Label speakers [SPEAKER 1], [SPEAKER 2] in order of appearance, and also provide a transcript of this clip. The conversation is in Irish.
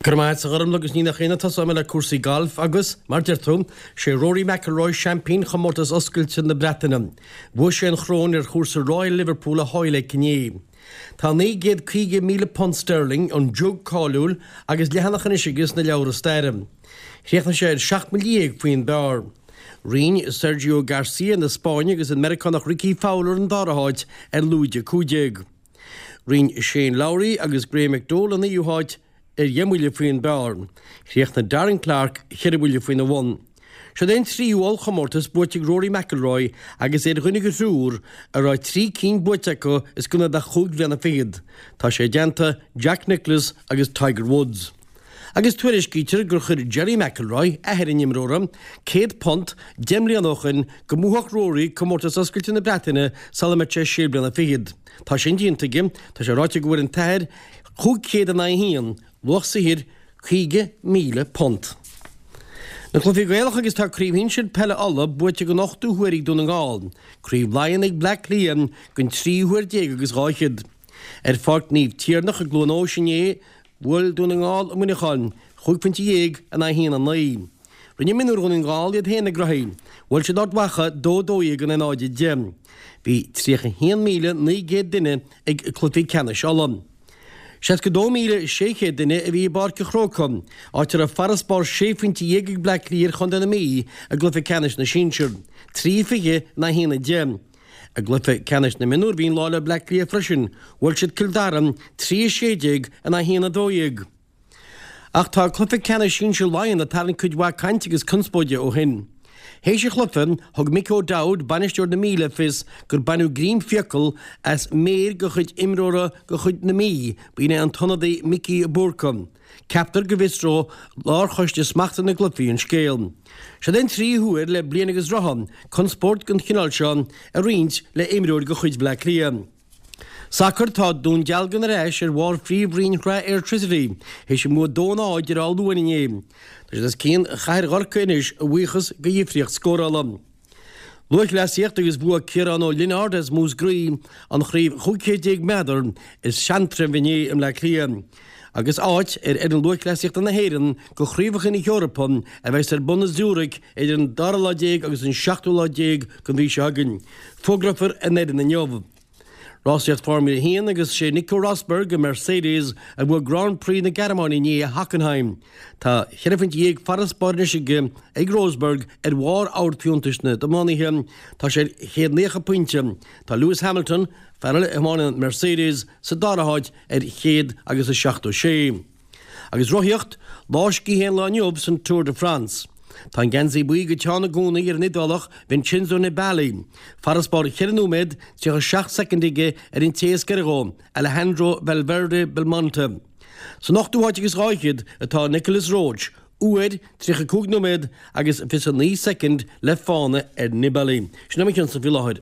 [SPEAKER 1] Go raibh maith agat, a Ghormlaith, agus ní nach ionadh tosóidh mé le cúrsaí gailf agus, mar deir tú, sé Rory McIlroy seaimpín Chomórtas Oscailte na Breataine. Bhuaigh sé an choróin ar chúrsa Royal Liverpool i Hoylake inné. Tá £950,000 sterling, an jug cáiliúil, agus leathanach anois aige sna leabhra staire. Chríochnaigh sé ar 17 mbuille faoin bpar. Roinn Sergio Garcia na Spáinne agus an Meiriceánach Rickie Fowler an dara háit ar lúide 15. Roinn Shane Lowry agus Graeme McDowell an naoú háit ar dheich mbuille faoin bpar. Chríochnaigh Darren Clarke cheithre bhuille faoina bhun. Seod é an tríú ollchomórtas buaite ag Rory McIlroy agus é ar dhuine de thriúr a raibh 3 cinn buaite acu os cionn de chúig bhliana fichead. Tá sé i dteannta Jack Nicklaus agus Tiger Woods. Agus tuairiscítear gur chuir Gerry McIlroy, athair an imreora, £100 deich mbliana ó shoin go mbuafadh Rory Comórtas Oscailte na Breataine sula mbeadh sé sé bliana fichead. Tá sin déanta aige. Tá sé ráite go bhfuair an t-athair 500 in aghaidh 1, luach saothair £50,000. Na cluichí Gaelacha agus tá Craobh Shinsir Peile Uladh buaite den ochtú huair ag Dún na nGall, Craobh Laighean ag Bleá Cliath den tríú huair déag agus dhá fhichead. Ar Pháirc Naomh Tiarnach i gCluain Eois inné, Bhuail Dún na nGall Muineachán, chúig phointe dhéag in aghaidh 1, 9. Rinne mionúir Dhún na nGall iad féin a gcroí. Bhuail siad Ard Mhacha 2, 12 in aghaidh 0, 10. Bhí 31,900 duine ag cluichí ceannais Uladh. 62,600 duine a bhí i bPáirc an Chrócaigh, áit a raibh farasbarr sé phointe dhéag ag Bleá Cliath ar chontae na Mí i gcluiche ceannais na sinsear, 3, 20 in aghaidh 1, 10. I gcluiche ceannais na mionúr bhí an lá le Bleá Cliath freisin, bhuail siad Cill Dara, 3, 16 in aghaidh 1, 12. Ach tá cluiche ceannais sinsir Laighean ag tarraingt cuid mhaith cainte agus conspóide ó shin. Théis an chluiche, thug Mick O'Dowd, bainisteoir na Mí le fios gur baineadh greim fiacal as méar de chuid imreora de chuid na Mí, b'in é an t-ionadaí Mickey Bourke. Ceaptar go bhfiosróidh Lárchoiste Smachta na gCluichí an scéal. Seod é an tríú huair le bliain agus rotha conspóid den chineál seo a roinnt le imreoir de chuid Bhaile Átha Cliath. Sacar Tá Dún Dealgan ar ais ar bharr phríomhroinn Shraith Airtricity théis a mbua 2-0 ar Áth Luain inné. Tá siad os cionn Chathair Chorcaí anois a bhuíochas do dhifríocht scórála. Lúthchleasaíocht agus bhuaigh Ciarán Ó Lionáird as Múscraí an chraobh 15 chéad méadar i Seantraibh inné i mBleá Cliath agus áit ar fhoireann lúthchleasaíochta na hÉireann go Chraobhacha na hEorpa a bheas ar bun i Zurich idir an dara lá déag agus an seachtú lá déag den mhí seo chugainn. Fógrófar an fhoireann inniu. Rásaíocht Formula 1 agus sé Nico Rosberg i Mercedes a bhuaigh Grand Prix na Gearmáine inné i Hockenheim. Tá cheithre phointe dhéag farasbairr anois aige ag Rosberg ar bharr amharc-fhiúntais na dtiománaithe. Tá sé ar 190 pointe. Tá Lewis Hamilton, fear eile a thiomáineann Mercedes, sa dara háit ar chéad agus a 76. Agus rothaíocht, lá scíthe an lae inniu san Tour de France. Tá an geansaí buí go teann i gcónaí ar an Iodálach Vincenzo Nibali. Farasbarr 4 nóiméad 37 soicind aige ar an té is gaire dhó, Alejandro Valverde Belmonte. San ochtú háit agus dhá fhichead atá Nicolas Roche, uair, 35 nóiméad agus 29 soicind le fána ar Nibali. Sin é mo chionsa faoi láthair.